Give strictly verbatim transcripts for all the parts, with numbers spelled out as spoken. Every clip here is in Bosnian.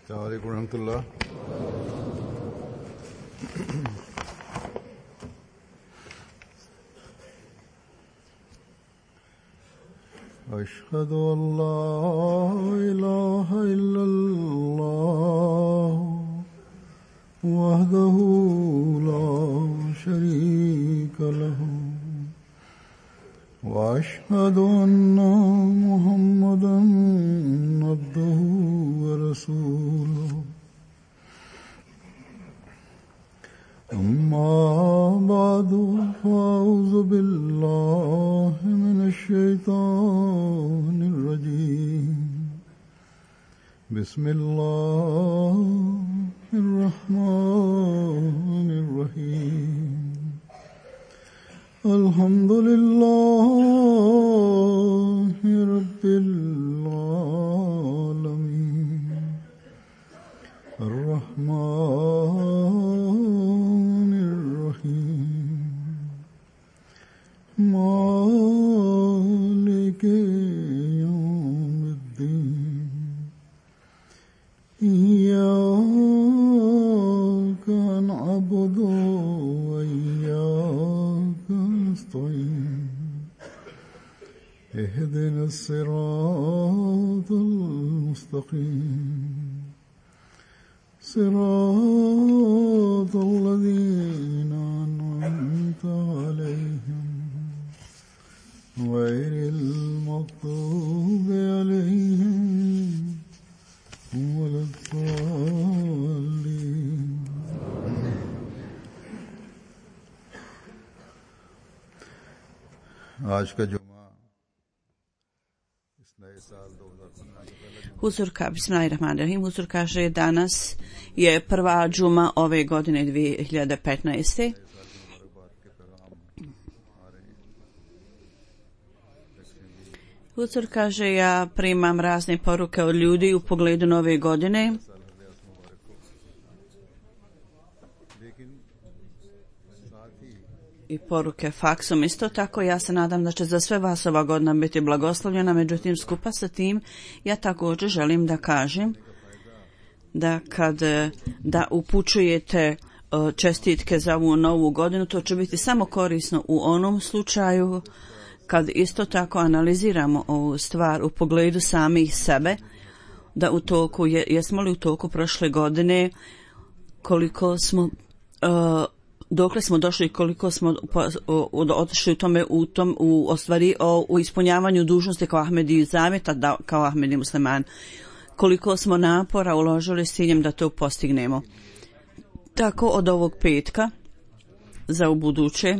السلام عليكم ورحمة الله. أشهد أن لا إله إلا الله وحده لا شريك له وأشهد أن محمدا عبده ورسوله أما بعد فأعوذ بالله من الشيطان الرجيم بسم الله الرحمن الرحيم الحمد لله رب العالمين الرحمن الرحيم مالك يوم الدين إياك نعبد وإياك نستعين اهدنا الصراط المستقيم صراط الذين أنعمت عليهم غير المغضوب عليهم ولا الضالين. आज का जुमा इस नए साल दो हज़ार पंद्रह के पहले Huzur ka, bismillahirrahmanirrahim, Huzur kaže danas je prva džuma ove godine dvije hiljade petnaeste. Huzur kaže ja primam razne poruke od ljudi u pogledu nove godine. I poruke faksom isto tako. Ja se nadam da će za sve vas ova godina biti blagoslovljena, međutim skupa sa tim ja također želim da kažem da kad da upućujete čestitke za ovu novu godinu, to će biti samo korisno u onom slučaju kad isto tako analiziramo ovu stvar u pogledu samih sebe, da u toku, jesmo li u toku prošle godine, koliko smo uh, dokle smo došli, koliko smo otišli u tome u tom u ostvari o, u ispunjavanju dužnosti kao Ahmedi Zaveta, da, kao Ahmedi Musliman, koliko smo napora uložili s ciljem da to postignemo. Tako od ovog petka za ubuduće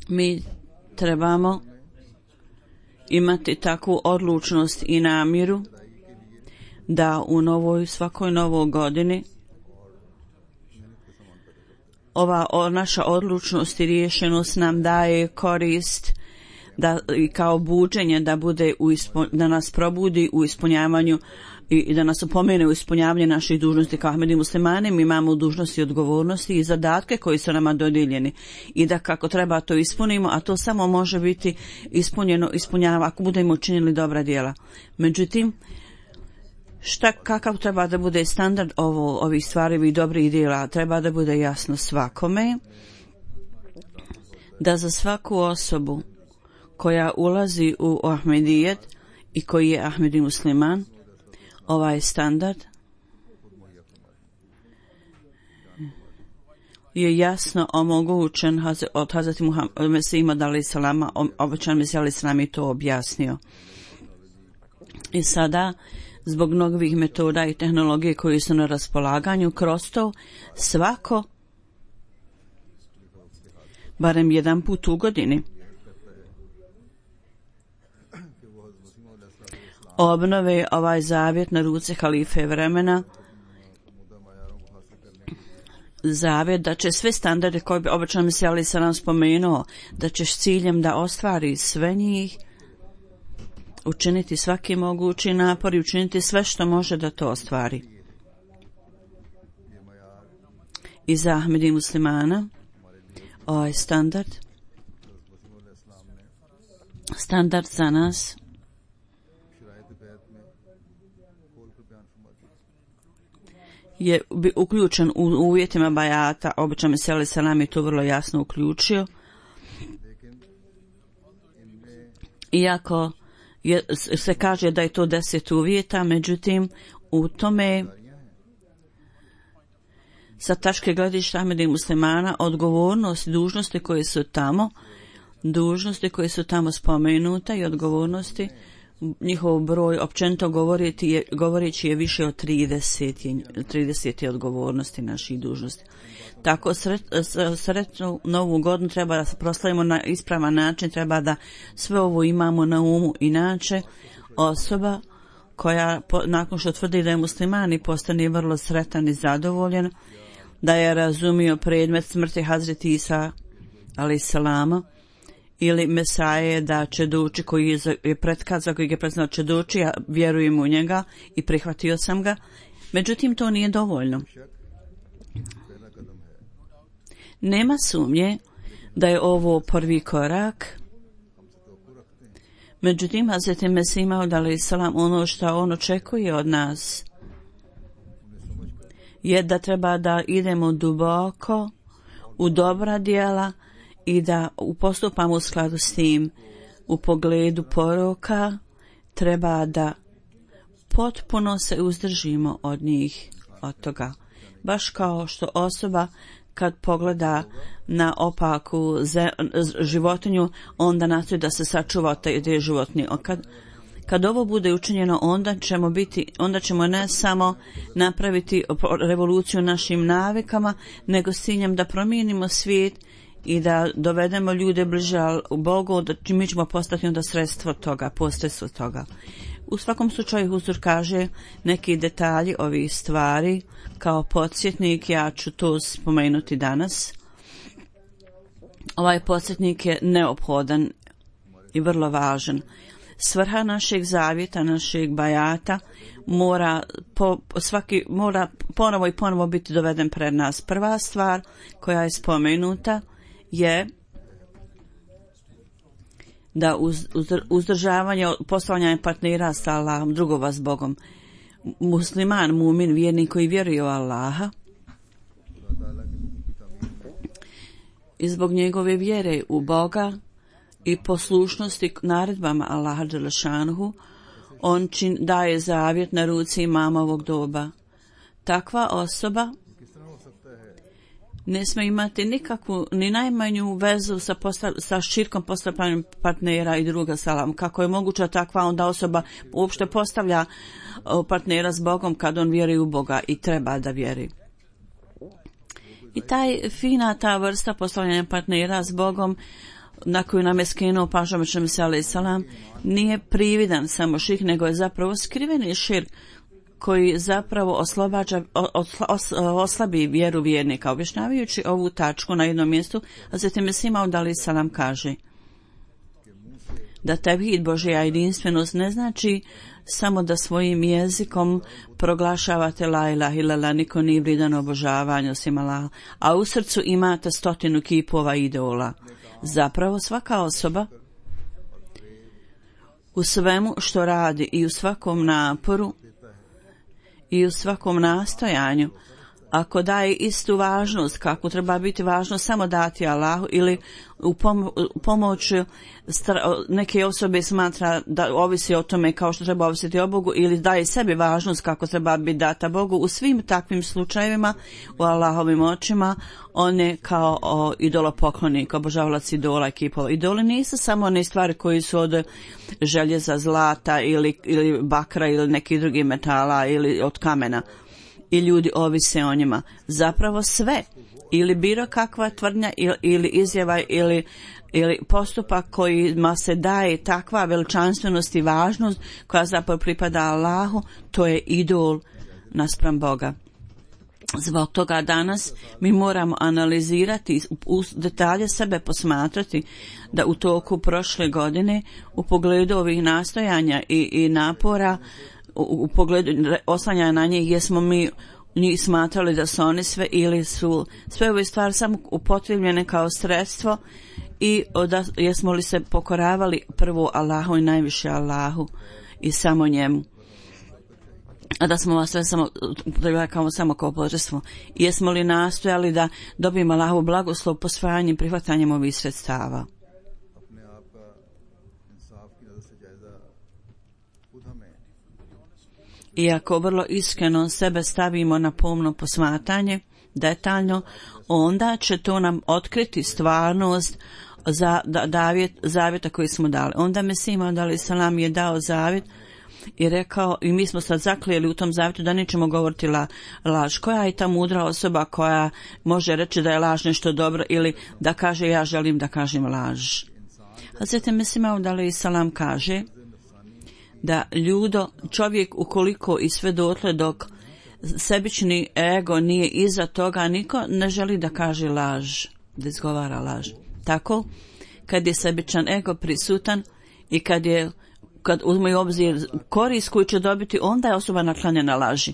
mi trebamo imati takvu odlučnost i namjeru da u novoj, svakoj novoj godini ova o, naša odlučnost i riješenost nam daje korist da i kao buđenje da bude u ispo, da nas probudi u ispunjavanju i, i da nas opomene u ispunjavanju naših dužnosti kao Ahmedi Muslimani. Mi imamo dužnosti i odgovornosti i zadatke koji su nama dodijeljeni i da kako treba to ispunimo, a to samo može biti ispunjeno, ispunjava ako budemo učinili dobra djela. Međutim, šta, kakav treba da bude standard ovo, ovih stvari i dobrih djela? Treba da bude jasno svakome da za svaku osobu koja ulazi u Ahmedijet i koji je Ahmedi Musliman, ovaj standard je jasno omogućen od Hazreti Muhammed Mesih alejhi selama, obećan Mesih alejhi selam je to objasnio. I sada zbog novih metoda i tehnologije koji su na raspolaganju, kroz to svako barem jedan put u godini obnove ovaj zavjet na ruci halife vremena, zavjet da će sve standarde koje bi obećan Mesih alejhi selam spomenuo, da ćeš ciljem da ostvari sve njih, učiniti svaki mogući napor i učiniti sve što može da to ostvari. I za Ahmedi Muslimana ovaj standard standard za nas je uključen u uvjetima bajata, obično Mesih selam je to vrlo jasno uključio. Iako je, se kaže da je to deset uvjeta, međutim u tome sa tačke gledišta Ahmeda i muslimana odgovornost, dužnosti koje su tamo, dužnosti koje su tamo spomenute i odgovornosti, njihov broj općenito govoriti je, govoreći je više od trideset, trideset odgovornosti naših dužnosti. Tako sret, sretnu novu godinu treba da se proslavimo na ispravan način, treba da sve ovo imamo na umu. Inače, osoba koja po, nakon što tvrdi da je musliman i postane vrlo sretan i zadovoljen, da je razumio predmet smrti Hazreti Isa alejhi selama ili Mesaje da će doći, koji je, je pretkazao, koji je predstavljao će doći, ja vjerujem u njega i prihvatio sam ga. Međutim, to nije dovoljno. Nema sumnje da je ovo prvi korak. Međutim, Hazreti Mesih Maud alejhi selam, ono što on očekuje od nas je da treba da idemo duboko u dobra djela i da postupamo u skladu s tim. U pogledu poroka treba da potpuno se uzdržimo od njih, od toga. Baš kao što osoba kad pogleda na opaku ze, životinju, onda nastoji da se sačuva od te, te životinje. Kad, kad ovo bude učinjeno, onda ćemo biti, onda ćemo ne samo napraviti revoluciju našim navikama, nego s ciljem da promijenimo svijet i da dovedemo ljude bliže Bogu, da mi ćemo postati onda sredstvo toga, posredstvo toga. U svakom slučaju Huzur kaže neki detalji ovih stvari kao podsjetnik, ja ću to spomenuti danas. Ovaj podsjetnik je neophodan i vrlo važan. Svrha našeg zavjeta, našeg bajata mora, po, svaki, mora ponovo i ponovo biti doveden pred nas. Prva stvar koja je spomenuta je da uz, uz, uzdržavanje postavljanja partnera sa Allahom, drugova s Bogom. Musliman, mumin, vjernik koji vjeruje u Allaha i zbog njegove vjere u Boga i poslušnosti naredbama Allaha dželešanuhu, on čin, daje zavjet na ruci imama ovog doba. Takva osoba ne smije imati nikakvu, ni najmanju vezu sa, postav, sa širkom postavljanjem partnera i druga salam. Kako je moguća takva onda osoba uopšte postavlja partnera s Bogom kad on vjeruje u Boga i treba da vjeri. I taj fina ta vrsta postavljanja partnera s Bogom na koju nam je skrenuo pažnju Mesih alejhi selam nije prividan samo širk, nego je zapravo skriveni širk koji zapravo oslobađa, os, os, oslabi vjeru vjernika. Objašnjavajući ovu tačku na jednom mjestu, Hazreti Mesih Maud alejhi selam kaže da tevhid, Božja jedinstvenost, ne znači samo da svojim jezikom proglašavate la ilaha illallah, niko nije vrijedan obožavanja osim Allaha, a u srcu imate stotinu kipova idola. Zapravo svaka osoba u svemu što radi i u svakom naporu i u svakom nastojanju, ako daje istu važnost kako treba biti važno samo dati Allahu ili u pomoć neke osobe smatra da ovisi o tome kao što treba ovisiti o Bogu, ili daje sebi važnost kako treba biti data Bogu, u svim takvim slučajevima u Allahovim očima on je kao o, idolopoklonik, obožavalac idola i kipova. Idoli nisu samo one stvari koji su od željeza, zlata ili, ili bakra ili nekih drugih metala ili od kamena i ljudi ovise o njima. Zapravo sve ili bilo kakva tvrdnja ili, ili izjava ili, ili postupak kojima se daje takva veličanstvenost i važnost koja zapravo pripada Allahu, to je idol naspram Boga. Zbog toga danas mi moramo analizirati, u detalje sebe posmatrati da u toku prošle godine u pogledu ovih nastojanja i, i napora u, u pogledu oslanjanja na njih, jesmo mi njih smatrali da su oni sve ili su sve ove stvari samo upotrebljene kao sredstvo i da, jesmo li se pokoravali prvo Allahu i najviše Allahu i samo njemu. a da smo vas sve samo kao samo kao božanstvo. Jesmo li nastojali da dobijemo Allahovu blagoslov posvajanjem i prihvatanjem ovih sredstava? Iako vrlo iskreno sebe stavimo na pomno posmatranje, detaljno, onda će to nam otkriti stvarnost za davjet, zavjeta koji smo dali. Onda Mesih Maud alejhi selam je dao zavjet i rekao, i mi smo sad zaklijeli u tom zavjetu da nećemo govoriti la, laž. Koja je ta mudra osoba koja može reći da je laž nešto dobro ili da kaže ja želim da kažem laž? Hazreti Mesih Maud alejhi selam kaže da ljudo, čovjek ukoliko i sve dotle dok sebični ego nije iza toga, niko ne želi da kaže laž, da izgovara laž. Tako, kad je sebičan ego prisutan i kad je kad uzme u obzir korist koju će dobiti, onda je osoba naklonjena laži.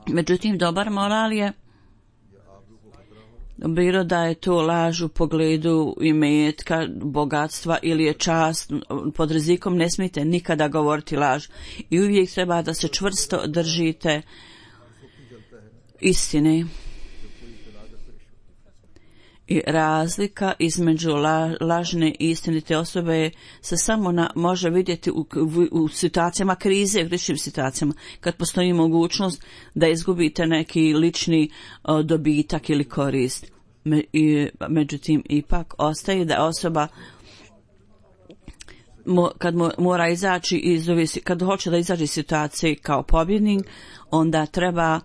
Međutim, dobar moral je bilo da je to laž u pogledu imetka, bogatstva ili je čast, pod rizikom ne smijete nikada govoriti laž. I uvijek treba da se čvrsto držite istine. I razlika između la, lažne i istinite osobe se samo na, može vidjeti u, u, u situacijama krize, u ličnim situacijama, kad postoji mogućnost da izgubite neki lični o, dobitak ili korist. Me, i, međutim, ipak ostaje da osoba mo, kad mo, mora izaći iz ove, kad hoće da izađe iz situacije kao pobjednik, onda treba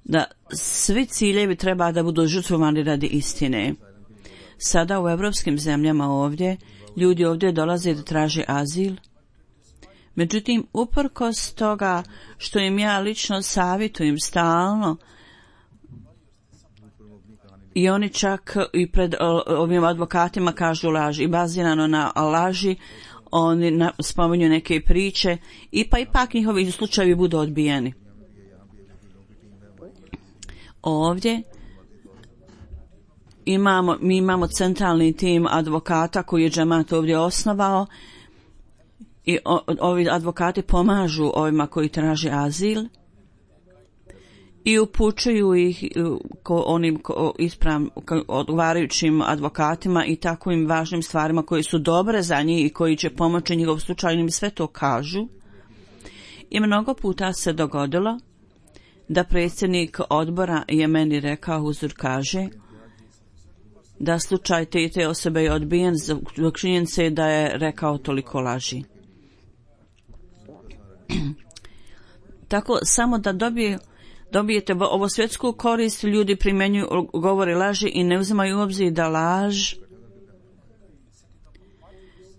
da svi ciljevi treba da budu žrtvovani radi istine. Sada u evropskim zemljama ovdje, ljudi ovdje dolaze da traže azil. Međutim, uprkos toga što im ja lično savjetujem stalno, i oni čak i pred ovim advokatima kažu laž i bazirano na laži, oni na, spominju neke priče i pa ipak njihovi slučajevi budu odbijeni. Ovdje imamo, mi imamo centralni tim advokata koji je džemat ovdje osnovao i o, ovi advokati pomažu ovima koji traže azil i upućuju ih ko onim ko, isprav, ko, odgovarajućim advokatima i takvim važnim stvarima koji su dobre za njih i koji će pomoći njihov slučaj, im sve to kažu. I mnogo puta se dogodilo da predsjednik odbora je meni rekao, Huzur kaže, da slučaj te, te osobe je odbijen zbog činjenice da je rekao toliko laži. Tako, samo da dobije, dobijete ovo svjetsku korist, ljudi primjenjuju, govore laži i ne uzimaju u obzir da laž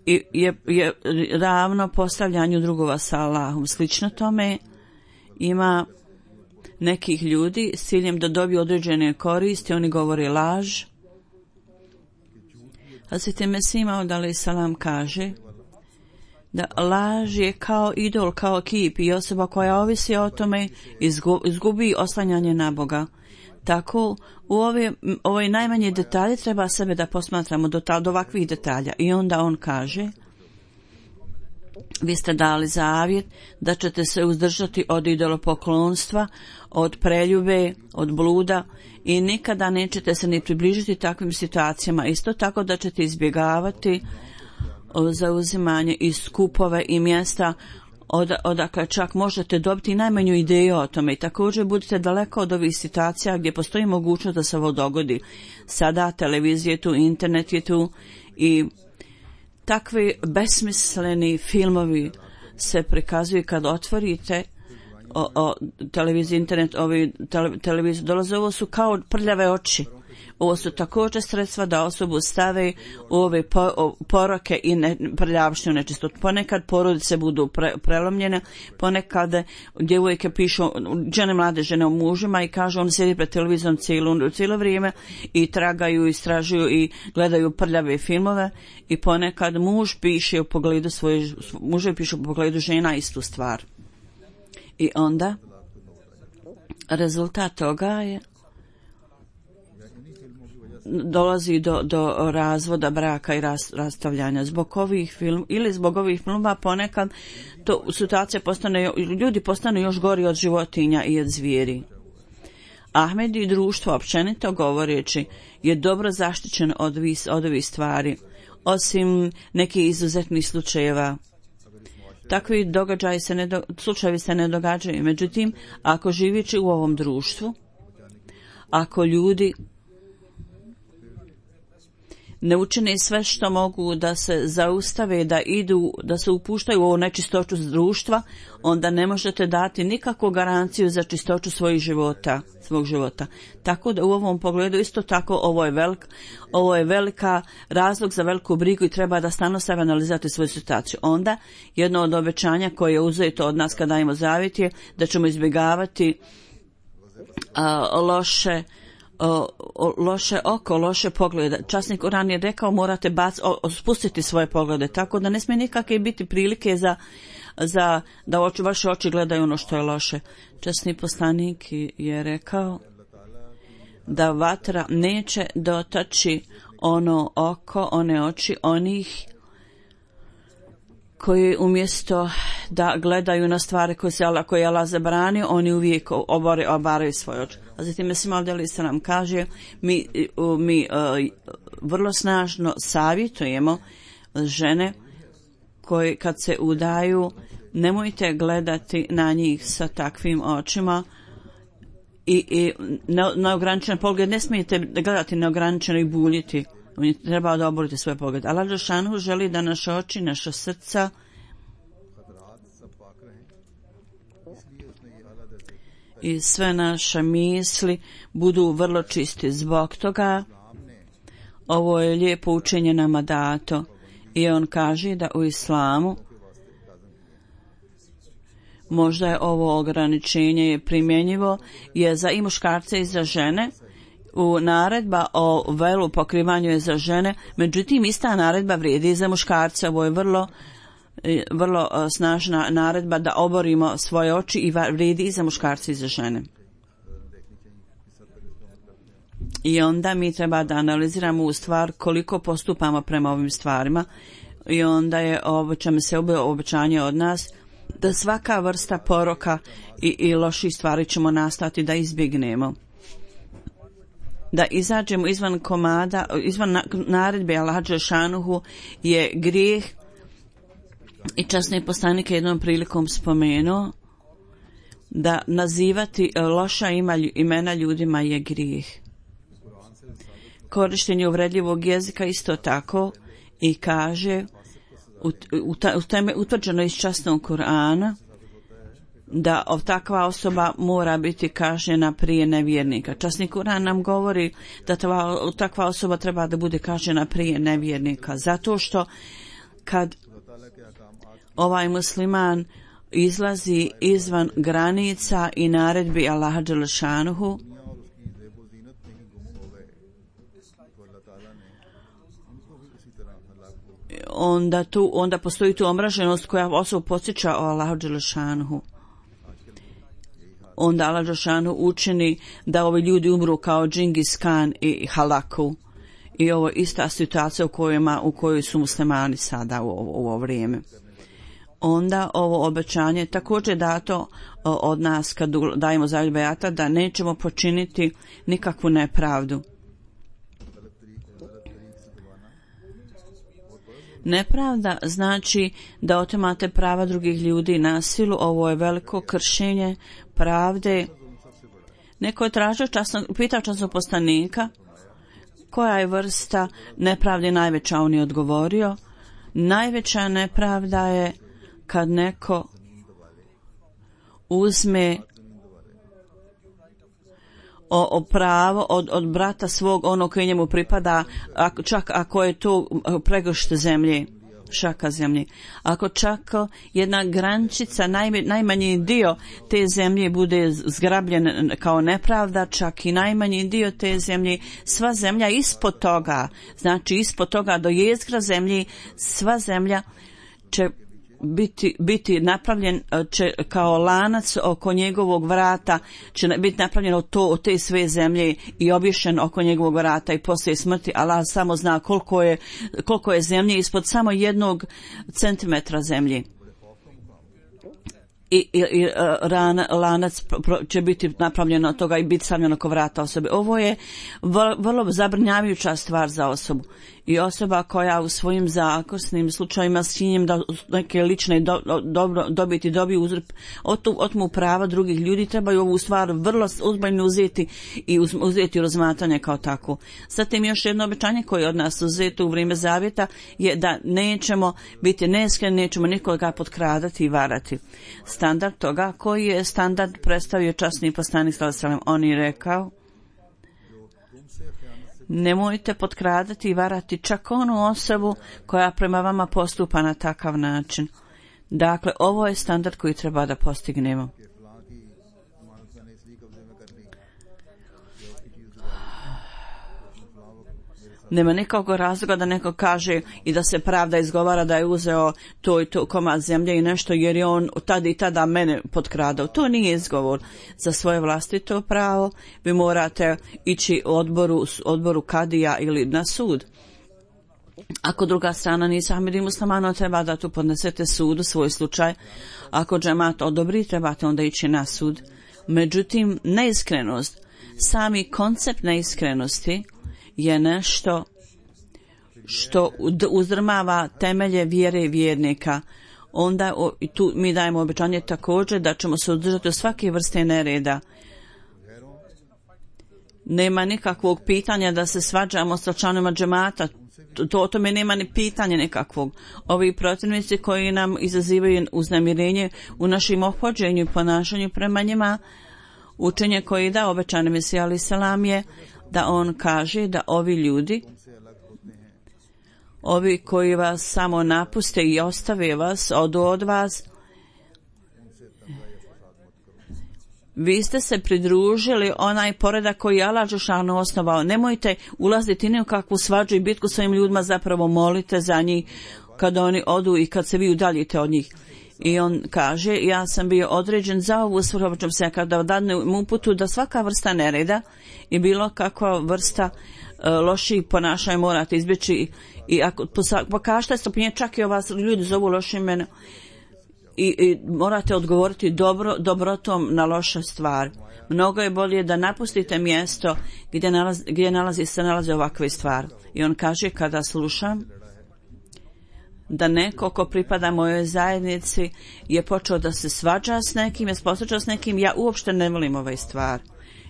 je, je, je ravno postavljanju drugova sa Allahom. Slično tome ima nekih ljudi s ciljem da dobiju određene koristi, oni govore laž. Hazreti Mesih Maud alejhi selam kaže da laž je kao idol, kao kip i osoba koja ovisi o tome izgubi oslanjanje na Boga. Tako u ove, ove najmanje detalje treba sebe da posmatramo do, ta, do ovakvih detalja. I onda on kaže, vi ste dali zavjet da ćete se uzdržati od idolopoklonstva, od preljube, od bluda i nikada nećete se ni približiti takvim situacijama. Isto tako da ćete izbjegavati zauzimanje i skupove i mjesta od, odakle čak možete dobiti najmanju ideju o tome. I također budite daleko od ovih situacija gdje postoji mogućnost da se ovo dogodi. Sada televizija je tu, internet je tu i takvi besmisleni filmovi se prikazuju kad otvorite o, o televiziju, internet, ovi tele, televiziju dolaze, ovo su kao prljave oči. Ovo su također sredstva da osobu stave u ove po, o, poroke i ne, prljavštinu nečistotu. Ponekad porodice budu pre, prelomljene, ponekad djevojke pišu, žene, mlade žene o mužima i kažu on sjedi pred televizijom cijelo, cijelo vrijeme i tragaju, istražuju i gledaju prljave filmove i ponekad muž piše u pogledu svoje, muže piše u pogledu žena istu stvar. I onda rezultat toga je dolazi do, do razvoda braka i ras, rastavljanja. Zbog ovih film ili zbog ovih filmova ponekad to situacija postane, ljudi postanu još gori od životinja i od zvijeri. Ahmed i društvo općenito govoreći je dobro zaštićeno od, vis, od ovih stvari, osim nekih izuzetnih slučajeva. Takvi događaji se ne do, slučajevi se ne događaju. Međutim, ako živeći u ovom društvu, ako ljudi ne učine sve što mogu da se zaustave, da idu, da se upuštaju u ovu nečistoću društva, onda ne možete dati nikakvu garanciju za čistoću svojih života, svog života. Tako da u ovom pogledu isto tako ovo je velik, ovo je velika razlog za veliku brigu i treba da stalno sebe analizirati svoju situaciju. Onda jedno od obećanja koje je uzeto od nas kada dajemo zavjet je da ćemo izbjegavati a, loše O, o, loše oko, loše poglede. Časnik Kur'an je rekao morate bac, o, spustiti svoje poglede, tako da ne smije nikakve biti prilike za, za da oči, vaše oči gledaju ono što je loše. Časni poslanik je rekao da vatra neće dotaći ono oko, one oči onih koji umjesto da gledaju na stvari koje se Allah, koje Allah zabranio, oni uvijek obore, obaraju svoje oči. A zatim Mesih Alejhi se nam kaže, mi, mi uh, vrlo snažno savjetujemo žene koje kad se udaju, nemojte gledati na njih sa takvim očima i, i neograničen pogled, ne smijete gledati neograničeno i buljiti. Treba da oborite svoj pogled. Allah dželešanu želi da naše oči, naša srca i sve naše misli budu vrlo čisti. Zbog toga ovo je lijepo učenje nama dato i on kaže da u islamu možda je ovo ograničenje je primjenjivo je za i muškarce i za žene. U naredba o velu pokrivanju je za žene, međutim ista naredba vrijedi i za muškarce. Ovo je vrlo, vrlo snažna naredba da oborimo svoje oči i vrijedi i za muškarce i za žene. I onda mi treba da analiziramo u stvar koliko postupamo prema ovim stvarima i onda je obećame se obećanje od nas da svaka vrsta poroka i, i loših stvari ćemo nastati da izbjegnemo. Da izađemo izvan komada, izvan naredbe Allaha dželešanuhu je grijeh i časni poslanik je jednom prilikom spomenuo da nazivati loša imena ljudima je grijeh. Korištenje uvredljivog jezika isto tako i kaže u teme utvrđeno iz časnog Kur'ana da takva osoba mora biti kažnjena prije nevjernika. Časni Kur'an nam govori da tva, takva osoba treba da bude kažnjena prije nevjernika. Zato što kad ovaj musliman izlazi izvan granica i naredbi Allaha dželešanuhu, onda, tu, onda postoji tu omraženost koja osobu podsjeća o Allahu dželešanuhu. Onda Allah dželešanu učini da ovi ljudi umru kao Džingis Khan i Halaku. I ovo je ista situacija u, kojima, u kojoj su muslimani sada u ovo, u ovo vrijeme. Onda ovo obećanje također dato od nas kad dajemo zavjet bejata da nećemo počiniti nikakvu nepravdu. Nepravda znači da otimate prava drugih ljudi na silu. Ovo je veliko kršenje pravde. Neko je tražio časno, pitao časnog poslanika koja je vrsta nepravde najveća. On je odgovorio, najveća nepravda je kad neko uzme o, o pravo od, od brata svog ono koje njemu pripada, ako, čak ako je to pregršt zemlje, šaka zemlje. Ako čak jedna grančica, naj, najmanji dio te zemlje bude zgrabljen kao nepravda, čak i najmanji dio te zemlje, sva zemlja ispod toga, znači ispod toga do jezgra zemlje, sva zemlja će biti, biti napravljen će, kao lanac oko njegovog vrata, će biti napravljeno to od te sve zemlje i obješen oko njegovog vrata i poslije smrti. Allah samo zna koliko je, koliko je zemlje ispod samo jednog centimetra zemlje. I, i, i ran, lanac će biti napravljeno od toga i biti stavljeno oko vrata osobe. Ovo je vrlo, vrlo zabrinjavajuća stvar za osobu. I osoba koja u svojim zakosnim slučajima s činjem da neke lične do, dobro, dobiti dobiju uzrp, otmu prava drugih ljudi, trebaju ovu stvar vrlo uzbajno uzeti i uz, uzeti u razmatranje kao tako. Zatim još jedno obećanje koje je od nas uzeto u vrijeme zavjeta je da nećemo biti neskreni, nećemo nikoga potkradati i varati. Standard toga koji je standard predstavio časni poslanik sallallahu alejhi ve sellem, on je rekao: nemojte potkradati i varati čak onu osobu koja prema vama postupa na takav način. Dakle, ovo je standard koji treba da postignemo. Nema nikakvog razloga da neko kaže i da se pravda izgovara da je uzeo to i to komad zemlje i nešto jer je on tada i tada mene potkradao. To nije izgovor. Za svoje vlastito pravo vi morate ići u odboru, odboru kadija ili na sud. Ako druga strana nisa Hamidi muslimano, treba da tu podnesete sudu svoj slučaj. Ako džemat odobri, trebate onda ići na sud. Međutim, neiskrenost, sami koncept neiskrenosti je nešto što uzdrmava temelje vjere vjernika. Onda o, tu mi dajemo obećanje također da ćemo se uzdržati od svake vrste nereda. Nema nikakvog pitanja da se svađamo sa članovima džemata. To, o tome nema ni pitanja nekakvog. Ovi protivnici koji nam izazivaju uznemirenje u našim ophođenju i ponašanju prema njima, učenje koji da obećani Mesija alejhi selam je da on kaže da ovi ljudi, ovi koji vas samo napuste i ostave vas, odu od vas, vi ste se pridružili onaj poredak koji je Allah dželešanu osnovao. Nemojte ulaziti ni u kakvu svađu i bitku svojim ljudima, zapravo molite za njih kad oni odu i kad se vi udaljite od njih. I on kaže, ja sam bio određen za ovu svrhu, se kada dadnem uputu da svaka vrsta nereda i bilo kakva vrsta uh, loših ponašanja morate izbjeći. I ako pokažete stopnje, čak i vas ljudi zovu lošim mene, i, i morate odgovoriti dobro, dobrotom na loše stvari. Mnogo je bolje da napustite mjesto gdje, nalazi, gdje nalazi, se nalaze ovakve stvari. I on kaže, kada slušam da neko ko pripada mojoj zajednici je počeo da se svađa s nekim, je posvađa s nekim, ja uopšte ne volim ovaj stvar.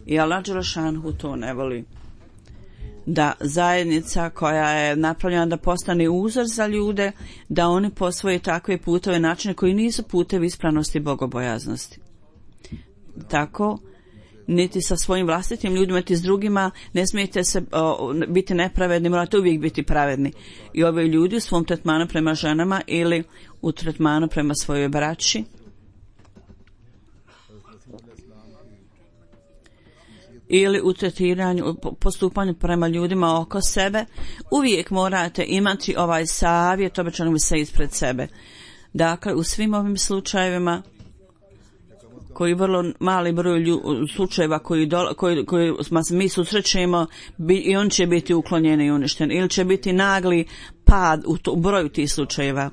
I Allah dželešanu to ne voli. Da zajednica koja je napravljena da postane uzor za ljude, da oni posvoje takve putove, načine koji nisu putevi ispravnosti i bogobojaznosti. Tako, niti sa svojim vlastitim ljudima, niti s drugima, ne smijete se o, biti nepravedni, morate uvijek biti pravedni. I ove ljudi u svom tretmanu prema ženama ili u tretmanu prema svojoj braći, ili u tretiranju, postupanju prema ljudima oko sebe, uvijek morate imati ovaj savjet, obećano se ispred sebe. Dakle, u svim ovim slučajevima, koji vrlo mali broj lju, slučajeva koji, do, koji, koji mi susrećemo, bi, i on će biti uklonjen i uništen, ili će biti nagli pad u, to, u broju tih slučajeva.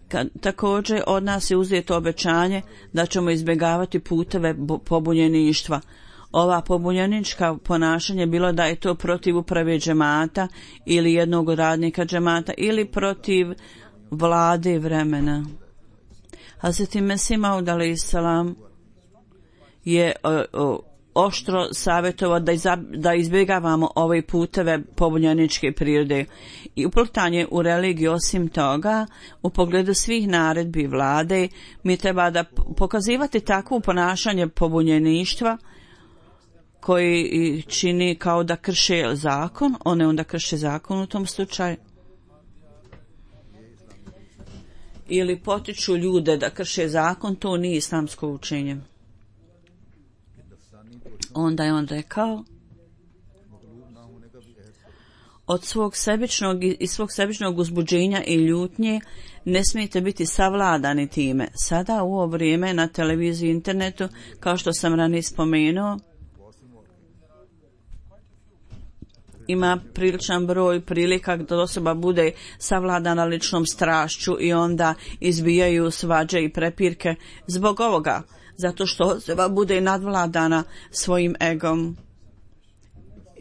Kad, također od nas je uzeto obećanje da ćemo izbjegavati puteve pobunjeništva. Ova pobunjenička ponašanje, bilo da je to protiv uprave džemata ili jednog radnika džemata ili protiv vlade vremena. Hazreti Mesih Maud alejhi selam je o, o, oštro savjetovao da, da izbjegavamo ove puteve pobunjeničke prirode i uplitanje u religiju. Osim toga, u pogledu svih naredbi vlade, mi treba da pokazivati takvo ponašanje pobunjeništva koji čini kao da krše zakon, one onda krše zakon u tom slučaju. Ili potiču ljude da krše zakon, to nije islamsko učenje. Onda je on rekao, od svog sebičnog i svog sebičnog uzbuđenja i ljutnje ne smijete biti savladani time. Sada u ovo vrijeme na televiziji i internetu, kao što sam ranije spomenuo, ima priličan broj prilika da osoba bude savladana ličnom strašću i onda izbijaju svađe i prepirke zbog ovoga, zato što osoba bude nadvladana svojim egom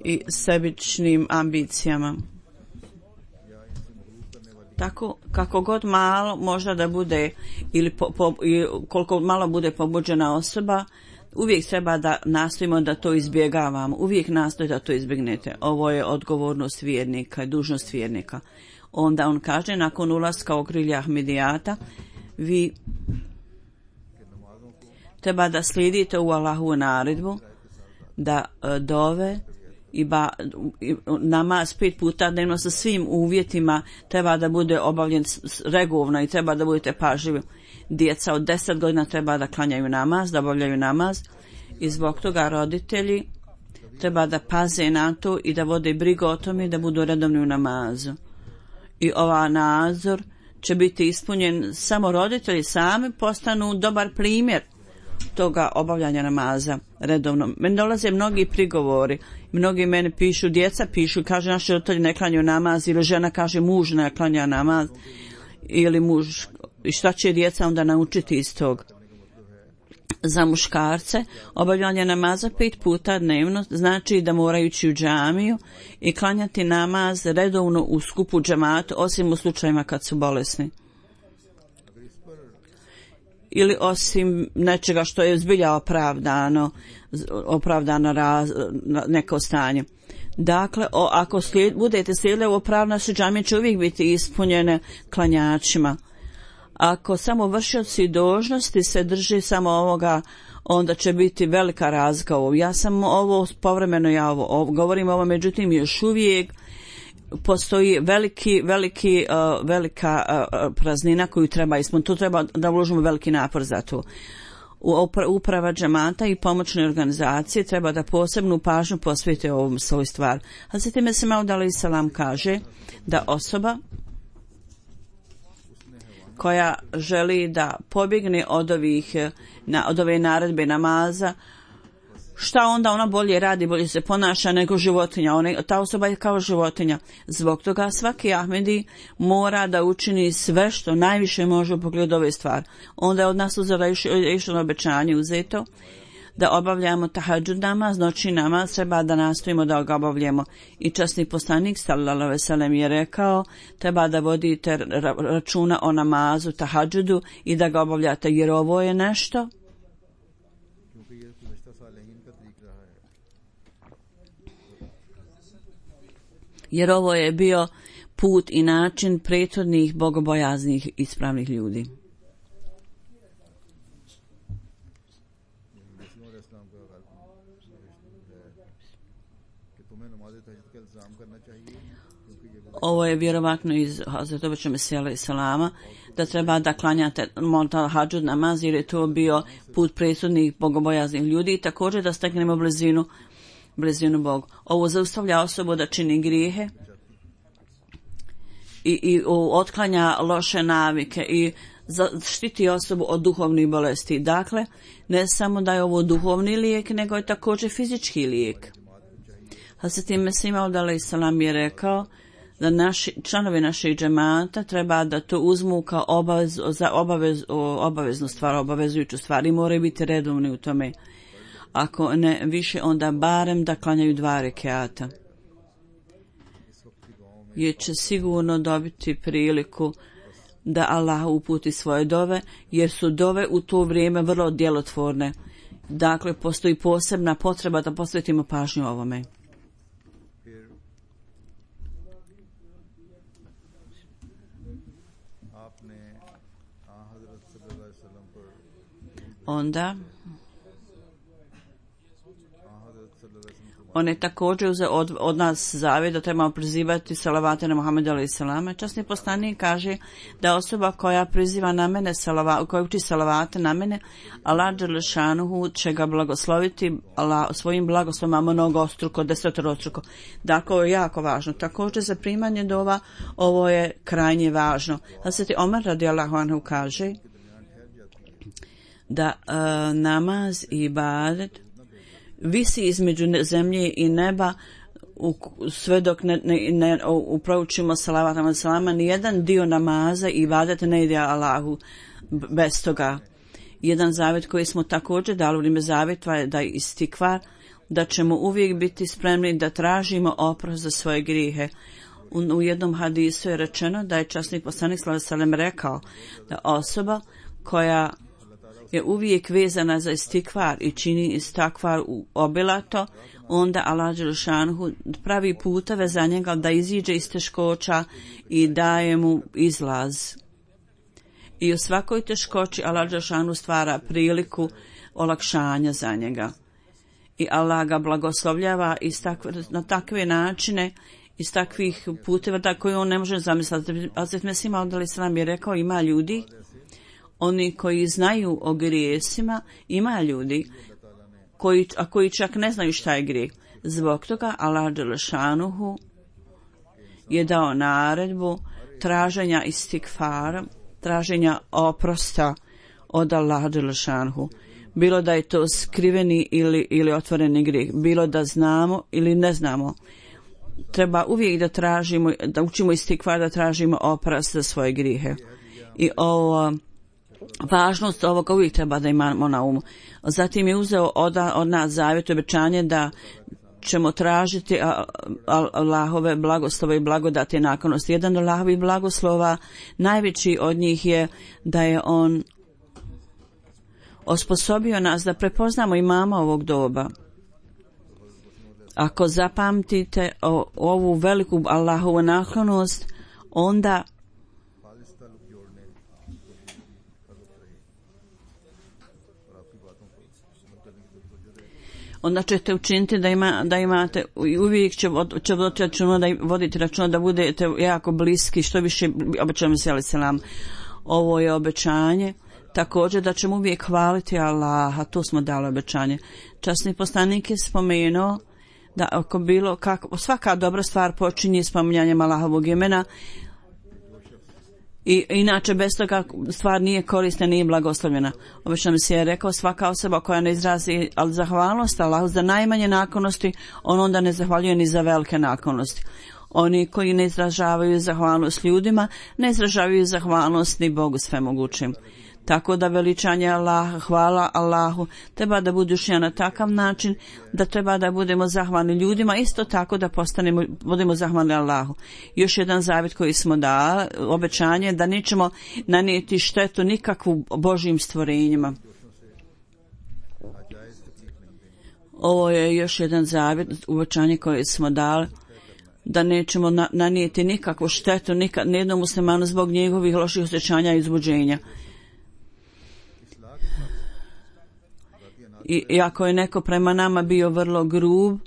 i sebičnim ambicijama. Tako kako god malo možda da bude ili po, po, koliko malo bude pobuđena osoba, uvijek treba da nastojimo da to izbjegavamo. Uvijek nastojite da to izbjegnete. Ovo je odgovornost vjernika i dužnost vjernika. Onda on kaže, nakon ulaska u okrilje Ahmedijata, vi treba da slijedite u Allahovu naredbu, da dove i ba, i namaz pet puta dnevno sa svim uvjetima treba da bude obavljen regularno i treba da budete pažljivi. Djeca od deset godina treba da klanjaju namaz, da obavljaju namaz i zbog toga roditelji treba da paze na to i da vode brigu o tome da budu redovni u namazu. I ova nadzor će biti ispunjen samo roditelji sami postanu dobar primjer toga obavljanja namaza redovno. Meni dolaze mnogi prigovori, mnogi meni pišu, djeca pišu, kaže naši roditelji ne klanjaju namaz, ili žena kaže muž ne klanja namaz, ili muž, i šta će djeca onda naučiti iz tog? Za muškarce obavljanje namaza pet puta dnevno znači da moraju ići u džamiju i klanjati namaz redovno u skupu džematu, osim u slučajima kad su bolesni. Ili osim nečega što je zbilja opravdano, opravdano raz, neko stanje. Dakle, o, ako slijed, budete slijedili ovo pravno, su džamije će uvijek biti ispunjene klanjačima. Ako samo vršioci dužnosti se drži samo ovoga, onda će biti velika razlika ovo. Ja sam ovo povremeno, ja ovo, ovo govorim ovo, međutim još uvijek postoji veliki, veliki, uh, velika uh, praznina koju treba ispuniti. Tu treba da uložimo veliki napor za to. Uprava džemata i pomoćne organizacije treba da posebnu pažnju posvete ovom svoj stvar. Hazreti Mesih Maud alejhi selam kaže da osoba koja želi da pobjegne od ovih, na, od ove naredbe namaza, šta onda ona bolje radi, bolje se ponaša nego životinja. Ona, ta osoba je kao životinja. Zbog toga svaki Ahmedi mora da učini sve što najviše može u pogledu ove stvari. Onda je od nas uzela išlo na obećanje uzeto da obavljamo tahadžud namaz, noćni namaz, treba da nastojimo da ga obavljamo. I časni poslanik sallallahu alejhi ve sellem je rekao, treba da vodite računa o namazu tahadžudu i da ga obavljate, jer ovo je nešto jer ovo je bio put i način prethodnih bogobojaznih ispravnih ljudi. Ovo je vjerovatno iz Hazreti Obeća Mesija alejhi selama, da treba da klanjate tahadžud namaz, jer je to bio put prethodnih bogobojaznih ljudi i također da steknemo blizinu blizinu Bogu. Ovo zaustavlja osobu da čini grijehe i, i otklanja loše navike i štiti osobu od duhovnih bolesti. Dakle, ne samo da je ovo duhovni lijek, nego je također fizički lijek. Hazreti Mesih Maud alejhi selam je rekao da naši, članovi našeg džemata treba da to uzmu kao obavez, za obavez, obaveznu stvar, obavezujuću stvar i moraju biti redovni u tome. Ako ne više, onda barem da klanjaju dva rekiata. Jer će sigurno dobiti priliku da Allah uputi svoje dove, jer su dove u to vrijeme vrlo djelotvorne. Dakle, postoji posebna potreba da posvetimo pažnju ovome. Onda On je također uzeo od, od nas zavjet da trebamo prizivati salavate na Muhameda alejhi selama. Časni poslanik kaže da osoba koja priziva na mene salava, koja uči salavate na mene, Allah dželešanuhu će ga blagosloviti Allah, svojim blagoslovima mnogostruko, desetorostruko. Dakle, ovo je jako važno. Također za primanje dova ovo je krajnje važno. Hazreti Omer radijallahu anhu kaže da uh, namaz i ibadet visi između zemlje i neba u, sve dok ne, ne, ne uproučimo salavat na salama, nijedan dio namaza i ibadeta ne ide Allahu bez toga. Jedan zavjet koji smo također dali u vrijeme zavjetva je da je istikvar, da ćemo uvijek biti spremni da tražimo oprost za svoje grijehe. U, u jednom hadisu je rečeno da je časni poslanik sallallahu alejhi ve sellem rekao da osoba koja je uvijek vezana za istikvar i čini istikvar obilato, onda Allah dželešanuhu pravi puteve za njega da iziđe iz teškoća i daje mu izlaz. I u svakoj teškoći Allah dželešanuhu stvara priliku olakšanja za njega. I Allah ga blagoslovljava iz takve, na takve načine, iz takvih puteva da koje on ne može zamisliti. Hazret Mesih Maud alejhi selam je rekao, ima ljudi, oni koji znaju o grijesima, ima ljudi koji, a koji čak ne znaju šta je grijeh. Zbog toga Allah dželešanuhu je dao naredbu traženja istikfara, traženja oprosta od Allah dželešanuhu. Bilo da je to skriveni ili, ili otvoreni grijeh, bilo da znamo ili ne znamo. Treba uvijek da tražimo, da učimo istikfar, da tražimo oprost za svoje grijehe. I ovo važnost ovoga uvijek treba da imamo na umu. Zatim je uzeo od, od nas zavjet, obećanje da ćemo tražiti Allahove blagoslove i blagodati naklonosti. Jedan od Allahovih blagoslova, najveći od njih je da je on osposobio nas da prepoznamo imama ovog doba. Ako zapamtite o, ovu veliku Allahovu naklonost, onda onda ćete učiniti da, ima, da imate, uvijek će, će voditi računa da, voditi računa da budete jako bliski, što više obećamo se, ali selam. Ovo je obećanje, također da ćemo uvijek hvaliti Allaha, to smo dali obećanje. Časni poslanik je spomenuo da ako bilo, kako, svaka dobra stvar počinje spominjanjem Allahovog imena, i inače bez toga stvar nije korisna, nije blagoslovljena. Obično se je rekao, svaka osoba koja ne izrazi ali zahvalnost Allahu za najmanje naklonosti, on onda ne zahvaljuje ni za velike naklonosti. Oni koji ne izražavaju zahvalnost ljudima, ne izražavaju zahvalnost ni Bogu svemogućim. Tako da veličanje Allaha, hvala Allahu, treba da bude ušljena na takav način da treba da budemo zahvalni ljudima, isto tako da postanemo, budemo zahvalni Allahu. Još jedan zavjet koji smo dali, obećanje da nećemo nanijeti štetu nikakvu Božjim stvorenjima. Ovo je još jedan zavjet, obećanje koje smo dali, da nećemo na, nanijeti nikakvu štetu nikad, nijednom muslimanu zbog njegovih loših osjećanja i izbuđenja. I, I ako je neko prema nama bio vrlo grub,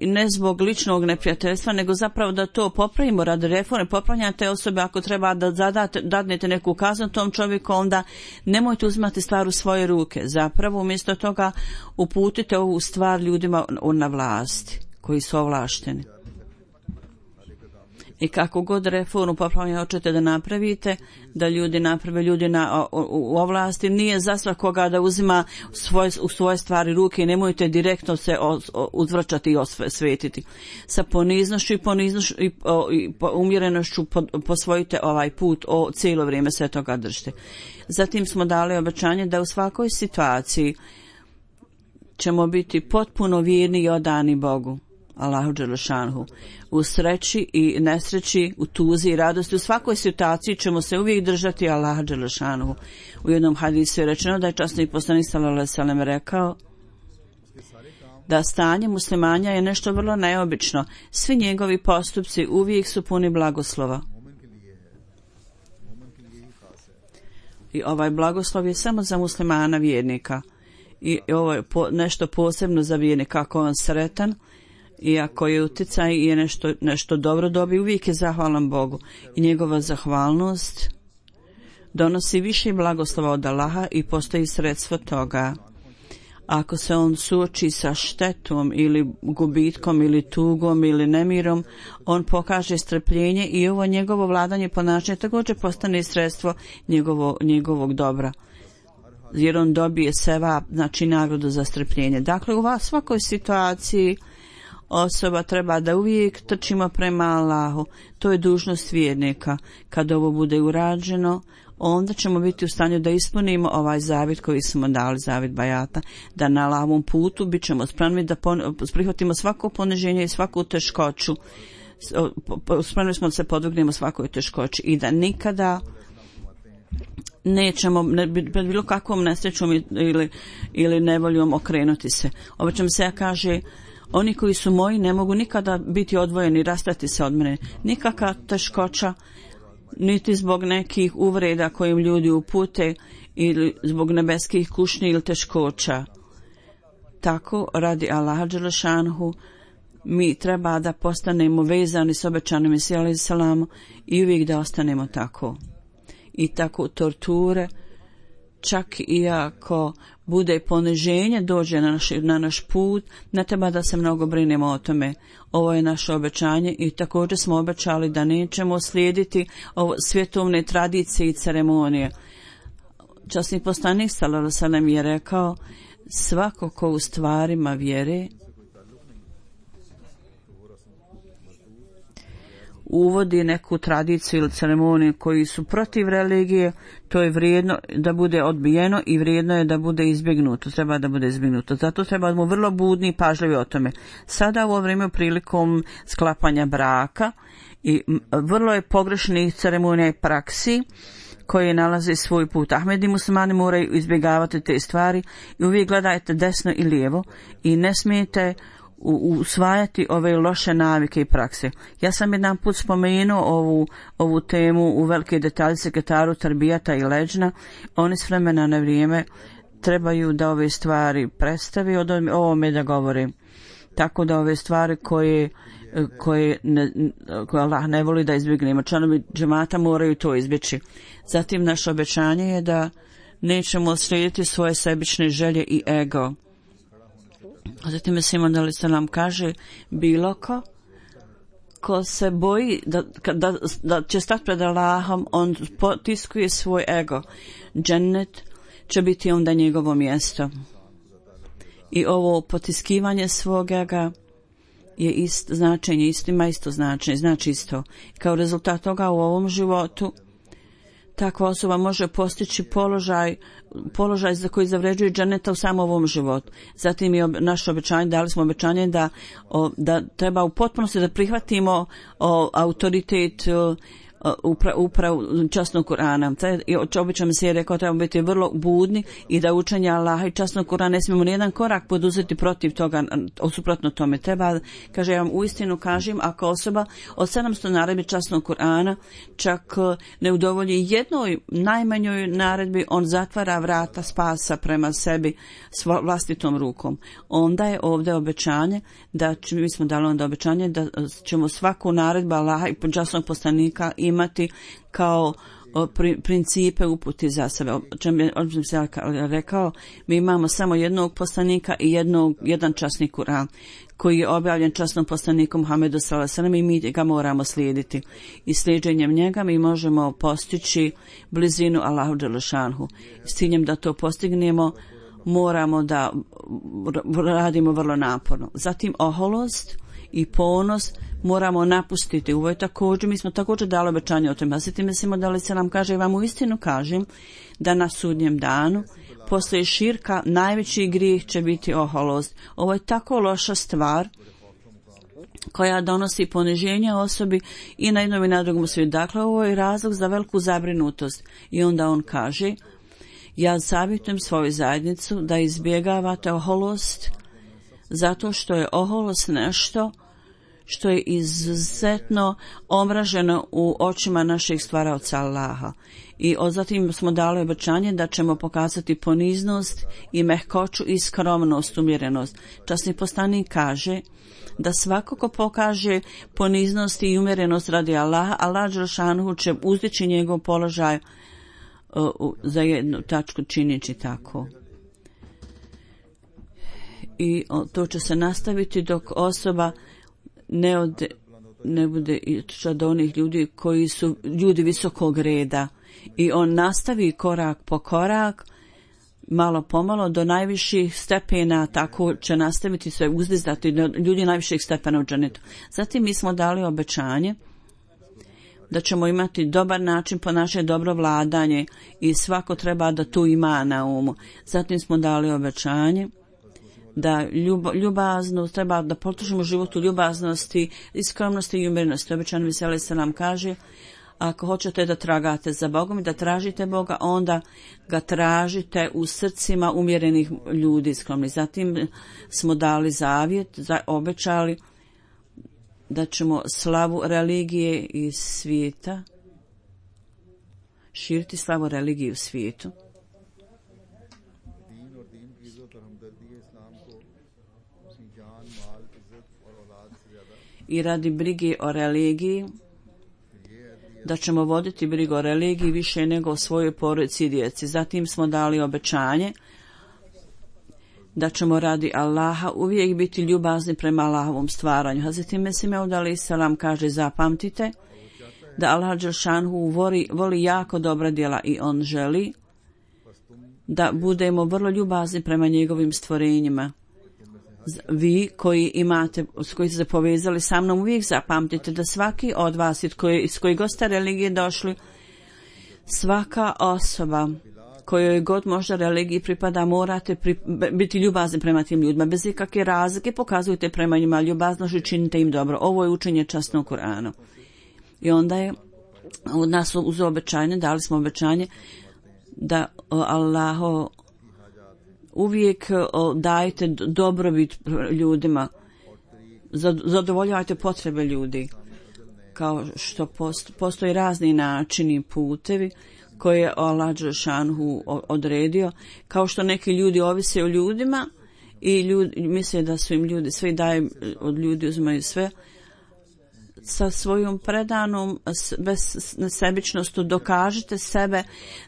ne zbog ličnog neprijateljstva, nego zapravo da to popravimo radi reforme, popravljanja te osobe, ako treba da zadate, dadnete neku kaznu tom čovjeku, onda nemojte uzimati stvar u svoje ruke. Zapravo umjesto toga uputite ovu stvar ljudima na vlasti, koji su ovlašteni. I kako god reformu popravljanja hoćete da napravite, da ljudi naprave ljudi na, u, u ovlasti, nije za svakoga da uzima svoje, u svoje stvari ruke i nemojte direktno se o, o, uzvraćati i osvetiti. Sa poniznošću i, poniznošću i, o, i po, umjerenošću po, posvojite ovaj put, o, cijelo vrijeme sve toga držite. Zatim smo dali obećanje da u svakoj situaciji ćemo biti potpuno vjerni i odani Bogu. Allahu dželešanuhu. U sreći i nesreći, u tuzi i radosti, u svakoj situaciji ćemo se uvijek držati Allaha dželešanuhu. U jednom hadisu je rečeno da je časni poslanik sallallahu alejhi ve sellem rekao da stanje muslimanja je nešto vrlo neobično. Svi njegovi postupci uvijek su puni blagoslova. I ovaj blagoslov je samo za muslimana vjernika. i ovo je po, nešto posebno za vjernika, kako on sretan i ako je uticaj i je nešto, nešto dobro dobi, uvijek je zahvalan Bogu i njegova zahvalnost donosi više blagoslova od Allaha i postoji sredstvo toga. Ako se on suoči sa štetom ili gubitkom ili tugom ili nemirom, on pokaže strpljenje i ovo njegovo vladanje ponašanje također postane sredstvo njegovo, njegovog dobra. Jer on dobije seva, znači nagradu za strpljenje. Dakle, u svakoj situaciji osoba treba da uvijek trčimo prema Allahu. To je dužnost vjernika. Kad ovo bude urađeno, onda ćemo biti u stanju da ispunimo ovaj zavjet koji smo dali, zavjet bajata, da na Allahovom putu bit ćemo spremni da pon- prihvatimo svako poniženje i svaku teškoću. Spremni smo da se podvrgnemo svakoj teškoći i da nikada nećemo pred bilo kakvom nesrećom ili, ili nevoljom okrenuti se. Obično se ja kaže, oni koji su moji ne mogu nikada biti odvojeni, rastati se od mene. Nikakva teškoća, niti zbog nekih uvreda kojim ljudi upute ili zbog nebeskih kušnji ili teškoća. Tako, radi Allaha dželešanhu, mi treba da postanemo vezani s obećanim Mesijom alejhi selam i uvijek da ostanemo tako. I tako torture, čak i ako bude poniženje dođe na naš, na naš put, ne treba da se mnogo brinemo o tome. Ovo je naše obećanje i također smo obećali da nećemo slijediti ovo svjetovne tradicije i ceremonije. Časni poslanik sallallahu alejhi ve sellem je rekao, svako ko u stvarima vjere uvodi neku tradiciju ili ceremoniju koji su protiv religije, to je vrijedno da bude odbijeno i vrijedno je da bude izbjegnuto, treba da bude izbjegnuto. Zato treba da mu vrlo budni i pažljivi o tome. Sada u ovo vrijeme prilikom sklapanja braka i vrlo je pogrešnih ceremonija i praksi koje nalaze svoj put. Ahmedi muslimani moraju izbjegavati te stvari i uvijek gledajte desno i lijevo i ne smijete usvajati ove loše navike i prakse. Ja sam jedan put spomenuo ovu, ovu temu u velike detalje sekretaru Tarbijata i Leđna. Oni s vremena na vrijeme trebaju da ove stvari predstavi, od ovome da govore. Tako da ove stvari koje, koje, ne, koje Allah ne voli da izbjegnemo, članovi džemata moraju to izbjeći. Zatim naše obećanje je da nećemo slijediti svoje sebične želje i ego. Zatim je Simon alejhi selam kaže, bilo ko ko se boji da, da, da će stati pred Allahom, on potiskuje svoj ego. Džennet će biti onda njegovo mjesto. I ovo potiskivanje svog ega je isto značenje, isto ima isto značenje, znači isto. Kao rezultat toga u ovom životu takva osoba može postići položaj, položaj za koji zavređuje dženeta u samom ovom životu. Zatim je naše obećanje, dali smo obećanje da, o, da treba u potpunosti da prihvatimo o, autoritet o, upra, uprav časnog Kur'ana. Obično se je rekao treba biti vrlo budni i da učenje Allaha i časnog Kur'ana ne smijemo nijedan korak poduzeti protiv toga, suprotno tome. Treba, kaže, ja vam uistinu kažem, ako osoba od sedamsto naredbi časnog Kur'ana čak ne udovolji jednoj najmanjoj naredbi, on zatvara vrata spasa prema sebi s vlastitom rukom. Onda je ovdje obećanje da mi smo dali onda obećanje da ćemo svaku naredbu Allaha i časnog poslanika imati kao principe uputi za sebe. Čem je se rekao, mi imamo samo jednog poslanika i jednog, jedan časni Kur'an koji je objavljen časnom poslaniku Muhammedu sallallahu alejhi ve sellem i mi ga moramo slijediti. I slijedženjem njega mi možemo postići blizinu Allahu dželešanhu. S ciljem da to postignemo moramo da radimo vrlo naporno. Zatim oholost i ponos moramo napustiti. Ovo je također, mi smo također dali obećanje o tome. Zatim mislimo da li se nam kaže, vam u istinu kažem da na sudnjem danu poslije širka najveći grijeh će biti oholost. Ovo je tako loša stvar koja donosi poniženje osobi i na jednom i na drugom svijetu. Dakle, ovo je razlog za veliku zabrinutost. I onda on kaže, ja savjetujem svoju zajednicu da izbjegavate oholost zato što je oholost nešto što je izuzetno omraženo u očima naših stvaraoca Allaha. I zatim smo dali obećanje da ćemo pokazati poniznost i mehkoću i skromnost, umjerenost. Časni poslanik kaže da svako ko pokaže poniznost i umjerenost radi Allaha, Allah dželešanu će uzdići njegov položaj uh, za jednu tačku činići tako. I uh, to će se nastaviti dok osoba ne, ode, ne bude od onih ljudi koji su ljudi visokog reda. I on nastavi korak po korak, malo pomalo do najviših stepena, tako će nastaviti se uzdizati do ljudi najviših stepena u džennetu. Zatim mi smo dali obećanje da ćemo imati dobar način po naše dobro vladanje i svako treba da tu ima na umu. Zatim smo dali obećanje da ljub, ljubaznost, treba da potužimo životu ljubaznosti, iskromnosti i umjerenosti. Obećan Viseli se nam kaže, ako hoćete da tragate za Bogom i da tražite Boga, onda ga tražite u srcima umjerenih ljudi skromni. Zatim smo dali zavjet, za, obećali da ćemo slavu religije i svijeta, širiti slavu religije u svijetu. I radi brige o religiji, da ćemo voditi brigu o religiji više nego o svojoj porodici i djeci. Zatim smo dali obećanje da ćemo radi Allaha uvijek biti ljubazni prema Allahovom stvaranju. Hazreti Mesih Maud alejhi selam kaže, zapamtite da Allah dželešanu voli, voli jako dobra djela i on želi da budemo vrlo ljubazni prema njegovim stvorenjima. Vi koji imate, s koji ste se povezali sa mnom, uvijek zapamtite da svaki od vas iz koje, iz koje god ste religije došli, svaka osoba kojoj god možda religiji pripada, morate pri, biti ljubazni prema tim ljudima. Bez ikakve razlike pokazujte prema njima ljubaznost i činite im dobro. Ovo je učenje časnog Kur'ana. I onda je od nas uz obećanje, dali smo obećanje da Allaho uvijek dajte dobrobit ljudima, zadovoljavajte potrebe ljudi, kao što postoji razni načini i putevi koje je Allah dželešanu odredio, kao što neki ljudi ovise o ljudima i ljudi, misle da su im ljudi sve daje, od ljudi uzimaju sve, sa svojom predanom bez nesebičnostu dokažite sebe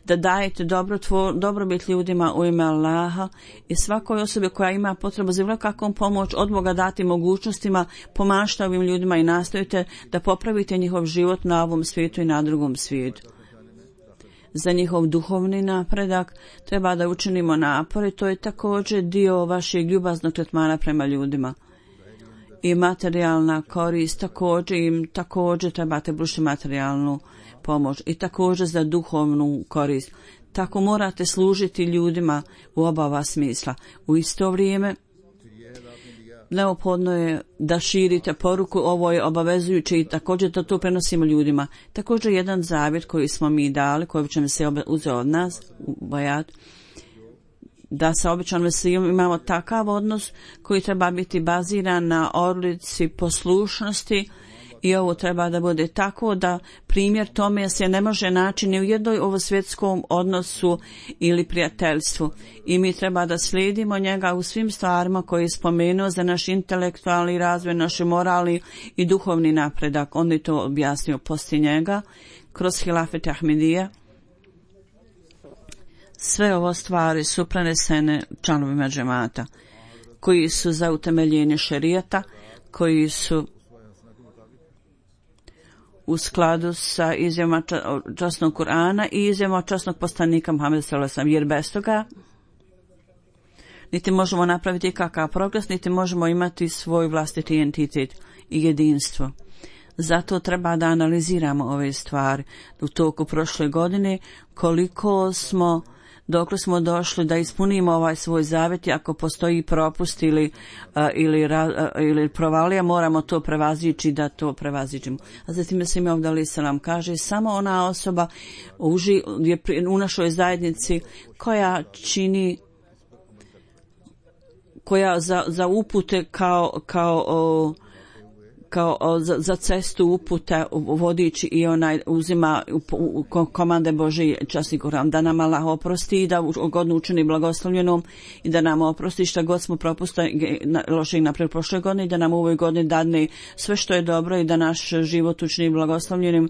da dajete dobrotvor, dobrobit ljudima u ime Allaha i svakoj osobi koja ima potrebu za bilo kakvom pomoć od Boga dati mogućnostima, pomažite ovim ljudima i nastojite da popravite njihov život na ovom svijetu i na drugom svijetu. Za njihov duhovni napredak treba da učinimo napore, to je također dio vašeg ljubaznog tretmana prema ljudima. I materijalna korist, također im također trebate pružiti materijalnu pomoć i također za duhovnu korist. Tako morate služiti ljudima u oba ova smisla. U isto vrijeme neophodno je da širite poruku, ovo je obavezujuće i također da to prenosimo ljudima. Također jedan zavjet koji smo mi dali, koji će se uzeo od nas u bajat, da sa običanom veseljom imamo takav odnos koji treba biti baziran na odlici poslušnosti i ovo treba da bude tako da primjer tome se ne može naći ni u jednoj ovo svjetskom odnosu ili prijateljstvu i mi treba da slijedimo njega u svim stvarima koje je spomenuo za naš intelektualni razvoj, naš moralni i duhovni napredak. On je to objasnio poslije njega kroz Hilafet Ahmedija. Sve ovo stvari su prenesene članovima džemata koji su za utemeljenje šerijata, koji su u skladu sa izjavama časnog Kur'ana i izjavama časnog poslanika Muhameda sallallahu alejhi ve sellem, jer bez toga niti možemo napraviti kakav progres, niti možemo imati svoj vlastiti entitet i jedinstvo. Zato treba da analiziramo ove stvari. U toku prošle godine koliko smo dokle smo došli da ispunimo ovaj svoj zavjet, ako postoji propust ili, uh, ili, ra, uh, ili provalija, moramo to prevazići da to prevaziđemo. A zatim se mi ovdje ali se nam kaže, samo ona osoba uži, je u našoj zajednici koja čini, koja za, za upute kao, kao o, kao za, za cestu uputa vodič i onaj uzima u, u, u komande Božije časni Kuran, da nam Allah oprosti i da godinu učini blagoslovljenom i da nam oprosti šta god smo propustili loše i naprijed prošle godine i da nam u ovoj godini dadne sve što je dobro i da naš život učini blagoslovljenim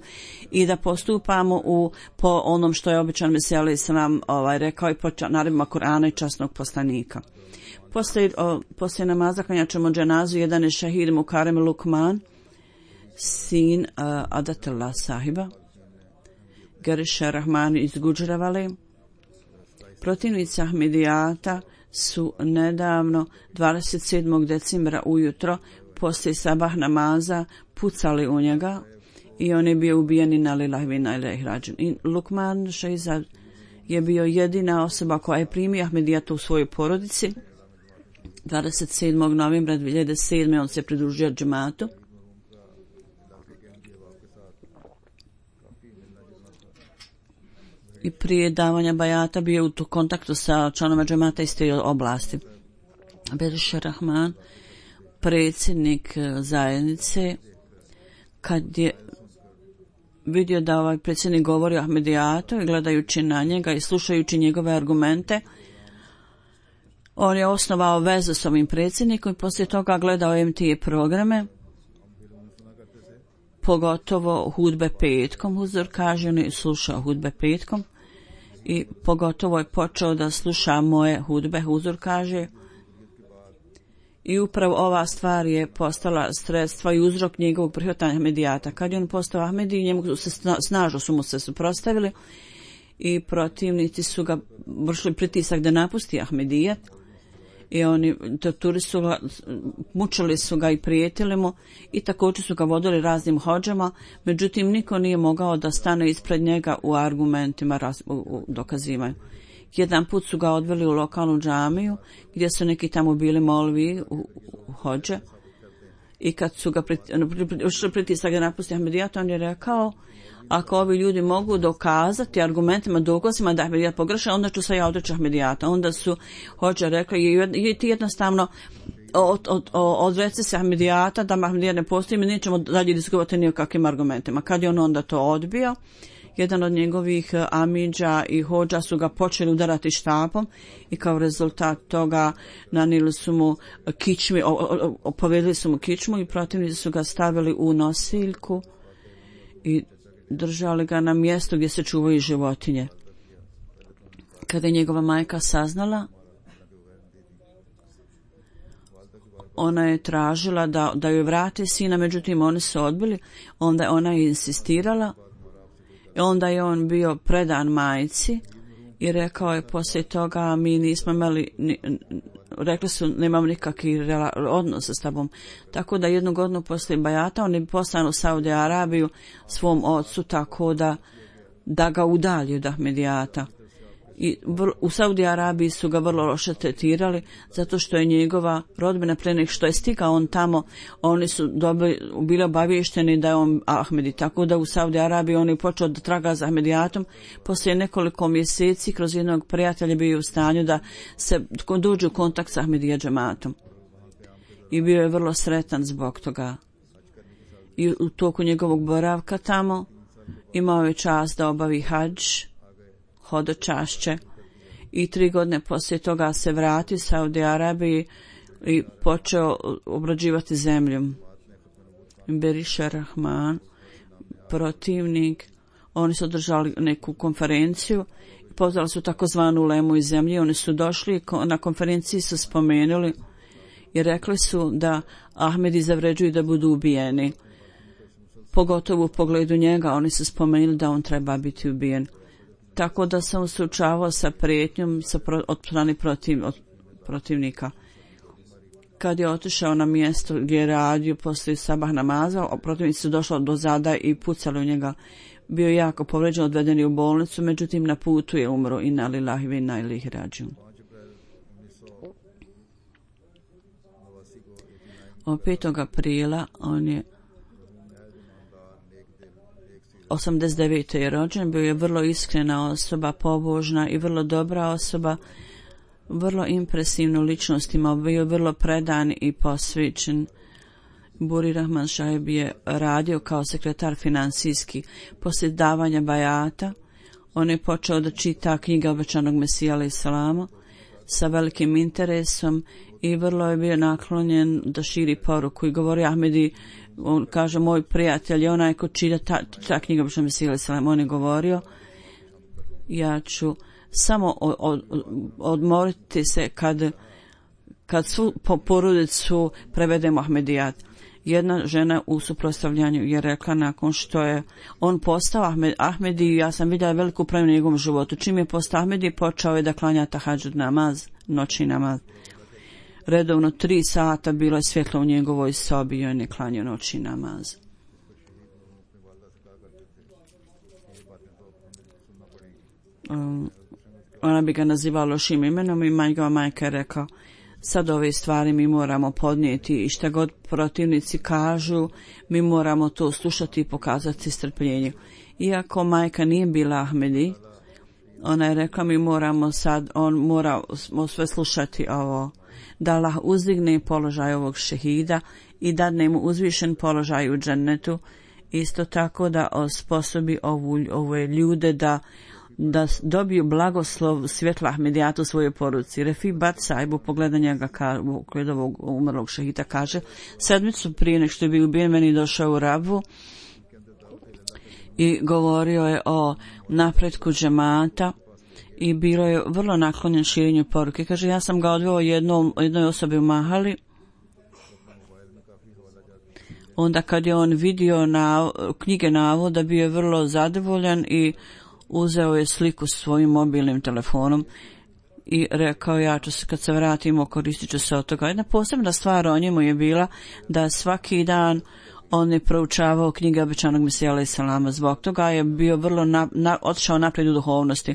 i da postupamo u, po onom što je običan Mesija alejhi selam ovaj, rekao i po naredbama Kur'ana i časnog poslanika. Poslije, o, poslije namaza klanjat ćemo dženazu, jedan je šehid Mukarem Lukman, sin uh, Adatullah sahiba, Geriša Rahman iz Guđravale. Protivnici Ahmedijata su nedavno dvadeset sedmog decembra ujutro poslije sabah namaza pucali u njega i on je bio ubijen i na lillahi wa inna ilaihi rađun. I Lukman Šehizad je bio jedina osoba koja je primio Ahmedijata u svojoj porodici. dvadeset sedmog novembra dvije hiljade sedme on se pridružio džematu. I prije davanja bajata bio u kontaktu sa članova džemata iz te oblasti. Beriša Rahman, predsjednik zajednice, kad je vidio da ovaj predsjednik govori o Ahmedijatu i gledajući na njega i slušajući njegove argumente, on je osnovao vezu s ovim predsjednikom i poslije toga gledao M T A programe, pogotovo hudbe petkom. Huzur kaže, on je slušao hudbe petkom i pogotovo je počeo da sluša moje hudbe, Huzur kaže. I upravo ova stvar je postala sredstva i uzrok njegovog prihvatanja Ahmedijata. Kad je on postao Ahmedi, njemu se snažno su mu se suprotstavili i protivnici su ga vršili pritisak da napusti Ahmedijat. I oni torturi su ga, mučili su ga i prijetili mu i također su ga vodili raznim hodžama, međutim niko nije mogao da stane ispred njega u argumentima, raz, u, u dokazivanju. Jedan put su ga odveli u lokalnu džamiju gdje su neki tamo bili molvi u, u hodže i kad su ga ušli pritisak da napusti Ahmedijat, on je rekao, ako ovi ljudi mogu dokazati argumentima, dokazima da Ahmedijat pogreša, onda ću se ja odreći Ahmedijata. Onda su hođe rekli, je ti jednostavno od, od, odreci se Ahmedijata, da Ahmedijat ne postoji, mi nećemo dalje diskutovati ni o kakvim argumentima. Kad je on onda to odbio, jedan od njegovih amidža i hođa su ga počeli udarati štapom i kao rezultat toga nanijeli su mu kičmi, opovedili su mu kičmu i protivnici su ga stavili u nosiljku i držali ga na mjestu gdje se čuvaju životinje. Kada je njegova majka saznala, ona je tražila da, da joj vrati sina, međutim oni su odbili, onda ona je insistirala i onda je on bio predan majci i rekao je poslije toga mi nismo imali, ni, rekli su nemam nikakvi odnos s tobom. Tako da jednu godinu poslije bajata on je poslan u Saudi Arabiju svom ocu tako da, da ga udalji od Ahmedijata. I u Saudi Arabiji su ga vrlo loše tretirali zato što je njegova rodbina pre nego što je stigao on tamo, oni su dobili, bili obavješteni da je on Ahmedi, tako da u Saudi Arabiji on je počeo da traga za Ahmedijatom. Poslije nekoliko mjeseci kroz jednog prijatelja bio u stanju da se dođe u kontakt sa Ahmedija džematom i bio je vrlo sretan zbog toga. I u toku njegovog boravka tamo imao je čast da obavi hadž, hodočašće i tri godine poslije toga se vrati u Saudi Arabiji i počeo obrađivati zemljom. Beriša Rahman, protivnik, oni su održali neku konferenciju, pozvali su takozvanu lemu iz zemlje, oni su došli na konferenciji su spomenuli i rekli su da Ahmedi zavređuju da budu ubijeni. Pogotovo u pogledu njega oni su spomenuli da on treba biti ubijen. Tako da sam suočavao sa prijetnjom sa pro, od strane protiv, od protivnika. Kad je otišao na mjesto gdje je radio poslije sabah namaza, protivnici su došli do zada i pucali u njega. Bio je jako povređen, odveden je u bolnicu, međutim na putu je umro. Inna lillahi wa inna ilaihi rađiun. Od petog aprila on je osamdeset devete je rođen, bio je vrlo iskrena osoba, pobožna i vrlo dobra osoba, vrlo impresivnu ličnost imao, bio je vrlo predan i posvećen Buri Rahman Šahib je radio kao sekretar financijski. Poslije davanja bajata, on je počeo da čita knjige obećanog Mesija alaih salama sa velikim interesom i vrlo je bio naklonjen da širi poruku i govori Ahmedi, on kaže moj prijatelj je onaj ko čita ta, ta knjiga obećanog Mesija alaih salama, on je govorio ja ću samo od, od, odmoriti se kad, kad svu po porodicu prevedemo Ahmedijat. Jedna žena u suprotstavljanju je rekla nakon što je on postao Ahmed, Ahmedi, ja sam vidjela veliku promjenu u njegovom životu. Čim je postao Ahmedi, počeo je da klanja tahadžud namaz, noćni namaz. Redovno tri sata bilo je svjetlo u njegovoj sobi i on je klanjao noćni namaz. Um, ona bi ga nazivala lošim imenom i njegova majka je rekao sad ove stvari mi moramo podnijeti i šta god protivnici kažu mi moramo to slušati i pokazati strpljenje. Iako majka nije bila Ahmedi, ona je rekla mi moramo sad, on mora sve slušati ovo, da Allah uzdigne položaj ovog šehida i dadne mu uzvišen položaj u džennetu, isto tako da osposobi ovu, ove ljude da da dobiju blagoslov svjetla Ahmedijata u svojoj poruci. Refi Bat Sahib u pogledu njega kod ovog umrlog šehita kaže sedmicu prije nek što je bio ubijen meni došao u Rabvu i govorio je o napretku džemata i bilo je vrlo naklonjen širenju poruke. Kaže ja sam ga odveo jednom, jednoj osobi u Mahali. Onda kad je on vidio na, knjige navoda bio je vrlo zadovoljan i uzeo je sliku svojim mobilnim telefonom i rekao ja ću se kad se vratimo koristit ću se od toga. Jedna posebna stvar o njemu je bila da svaki dan on je proučavao knjige obećanog Mesija alaih salama. Zbog toga je bio vrlo na, na, otišao naprijed u duhovnosti.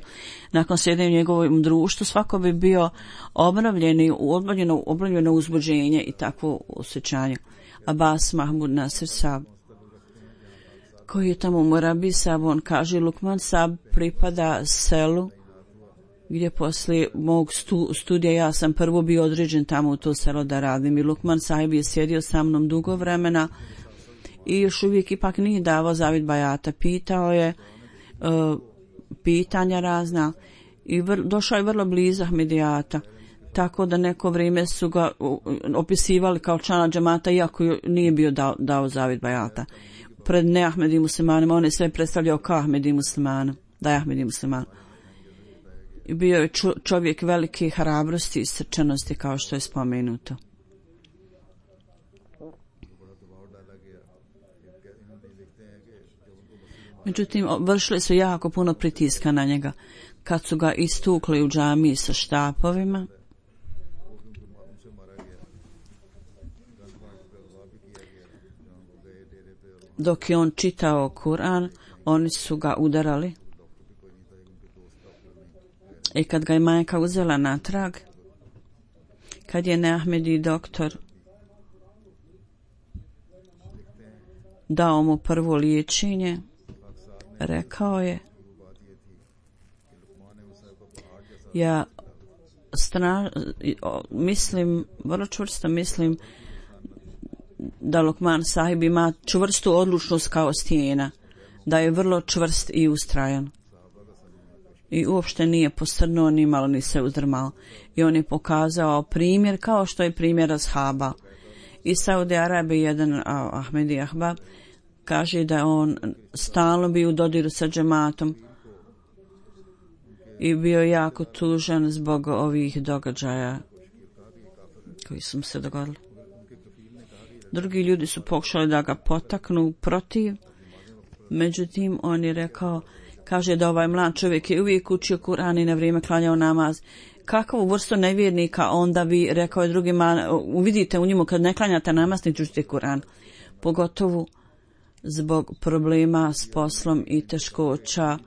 Nakon sjedenja u njegovom društvu svako bi bio obnovljen i obnovljeno, obnovljeno uzbuđenje i takvo osjećanje. Abbas Mahmud Nasir Sab koji je tamo u Morabi Sab, on kaže Lukman Sab pripada selu gdje poslije mog stu, studija ja sam prvo bio određen tamo u to selo da radim i Lukman Sahib je sjedio sa mnom dugo vremena i još uvijek ipak nije davao zavid bajata, pitao je uh, pitanja razna i vr, došao je vrlo blizu Ahmedijata, tako da neko vrijeme su ga uh, opisivali kao člana džemata iako nije bio dao, dao zavid bajata. Pred ne Ahmedi muslimanima, on je sve predstavljao kao Ahmedi muslimana, da je Ahmedi musliman. Bio je čovjek velike hrabrosti i srčanosti kao što je spomenuto. Međutim, vršili su jako puno pritiska na njega. Kad su ga istukli u džamiji sa štapovima, dok je on čitao Kur'an, oni su ga udarali. I kad ga je majka uzela natrag, kad je Neahmedi doktor dao mu prvo liječenje, rekao je ja stra, mislim, vrlo čvrsto mislim da Lukman Sahib ima čvrstu odlučnost kao stijena, da je vrlo čvrst i ustrajan. I uopšte nije posrnuo, ni malo ni se uzdrmao. I on je pokazao primjer kao što je primjer ashaba. I Saudi Arabije jedan Ahmedi Ahbab kaže da on stalno bio u dodiru sa džematom i bio jako tužan zbog ovih događaja koji su mu se dogodili. Drugi ljudi su pokušali da ga potaknu protiv, međutim on je rekao, kaže da ovaj mlad čovjek je uvijek učio Kur'an i na vrijeme klanjao namaz. Kakvu vrstu nevjernika onda vi, rekao je drugima, uvidite u njemu kad ne klanjate namaz ni učite Kur'an. Pogotovo zbog problema s poslom i teškoća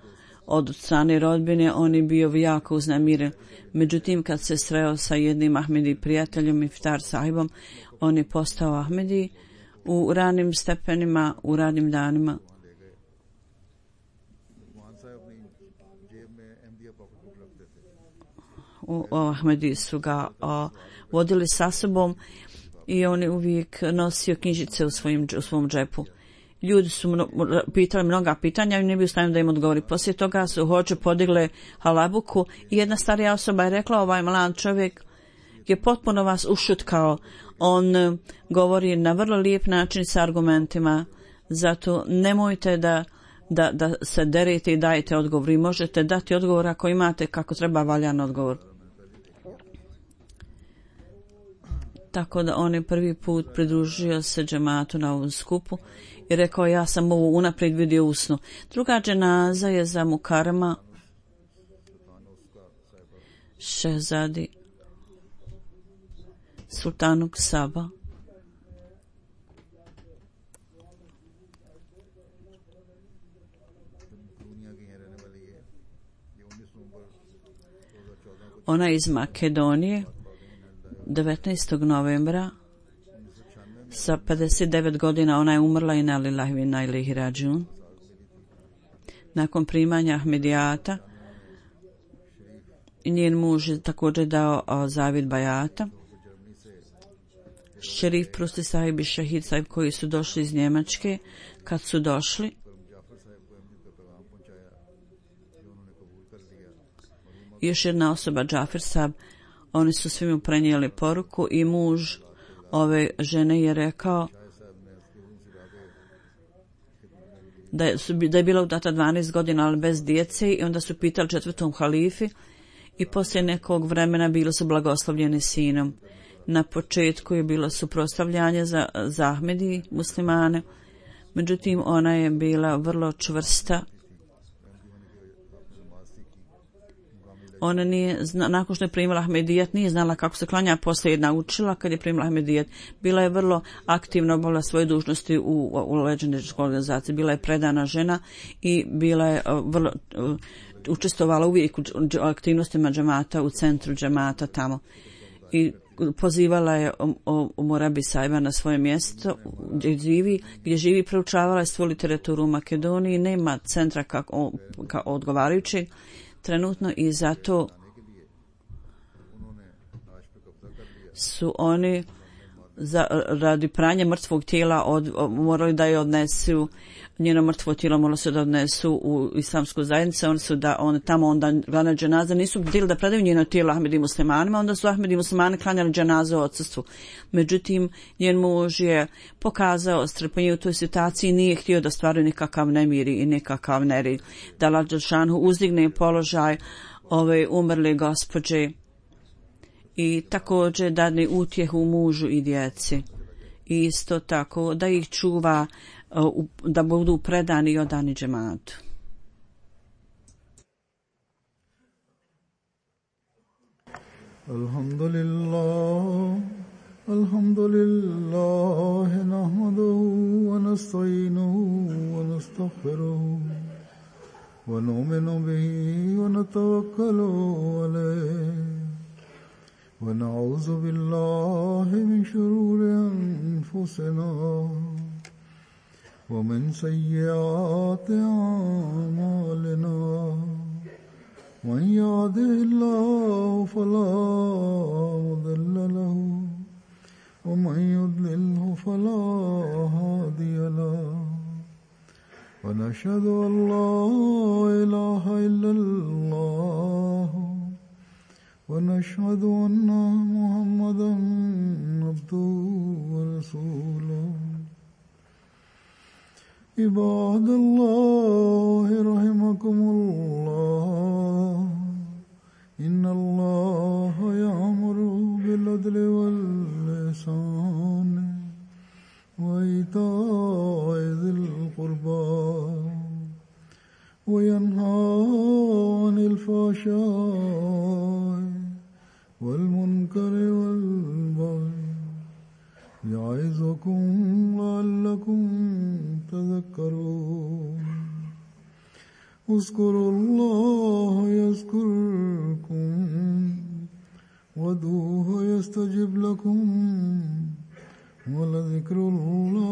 od strane rodbine, on je bio jako uznemiren. Međutim, kad se sreo sa jednim Ahmedi prijateljom Iftar sahibom, on je postao Ahmedi u ranim stepenima, u ranim danima. U, o, Ahmedi su ga o, vodili sa sobom i on je uvijek nosio knjižice u, svojim, u svom džepu. Ljudi su mno, pitali mnoga pitanja i ne bi u stanju da im odgovori. Poslije toga su hoće podigle halabuku i jedna starija osoba je rekla, ovaj mlad čovjek je potpuno vas ušutkao. On govori na vrlo lijep način sa argumentima, zato nemojte da, da, da se derete i dajete odgovor. I možete dati odgovor ako imate kako treba valjan odgovor. Tako da on je prvi put pridružio se džematu na ovom skupu i rekao, ja sam ovo unaprijed vidio u snu. Druga dženaza je za Mukarama Šehzadi Sultanuk Saba. Ona iz Makedonije, devetnaestog novembra, sa pedeset devet godina ona je umrla i na lillahi ve inna ilaihi rađiun. Nakon primanja Ahmedijata, njen muž je također dao o, zavid bajata. Šerif Prusti sahib i Šahid sahib koji su došli iz Njemačke, kad su došli, još jedna osoba, Džafer sahib, oni su svima prenijeli poruku i muž ove žene je rekao da je, da je bila udata dvanaest godina, ali bez djece, i onda su pitali četvrtom halifi i poslije nekog vremena bili su blagoslovljeni sinom. Na početku je bilo suprotstavljanje za, za Ahmedi muslimane, međutim ona je bila vrlo čvrsta. Ona nije, zna, nakon što je primila Ahmedijat, nije znala kako se klanja, poslije je naučila kad je primila Ahmedijat. Bila je vrlo aktivna, obavila svoje dužnosti u, u leđeničkoj organizaciji. Bila je predana žena i bila je uh, vrlo, uh, učestvovala uvijek u aktivnostima džemata, u centru džemata tamo. I pozivala je o, o, o Morabi Sajba na svoje mjesto gdje živi, gdje živi proučavala je svu literaturu u Makedoniji. Nema centra kako, kao odgovarajućeg trenutno i zato su oni za, radi pranja mrtvog tijela od, morali da je odnesu, njeno mrtvo tijelo moralo se da odnesu u islamsku zajednicu. Oni su da on tamo onda glavna dženaza nisu htjeli da predaju njeno tijelo Ahmedi muslimanima, onda su Ahmedi muslimani klanjali dženazu u odsustvu. Međutim, njen muž je pokazao strpljenje u toj situaciji i nije htio da stvaraju nikakav nemir i nikakav nered. Da Allah dželešanu uzdigne položaj ove umrle gospođe i također dadne utjehu mužu i djeci. I isto tako da ih čuva, da budu predani i odani džematu. Alhamdulillah, alhamdulillah, nahmaduhu wa nasta'inuhu wa nastaghfiruhu wa nu'minu bihi wa natawakkalu alayhi. ونعوذ بالله من شرور أنفسنا ومن سيئات أعمالنا من يهده الله فلا مضل له ومن يضلله فلا هادي له ونشهد أن لا إله إلا الله ونشهد أن محمدا عبده ورسوله عباد الله رحمكم الله إن الله يأمر بالعدل والإحسان وإيتاء ذي القربى وينهى عن الفحشاء والمنكر والبغي يعظكم لعلكم تذكرون اذكروا الله يذكركم وادعوه يستجب لكم ولذكر الله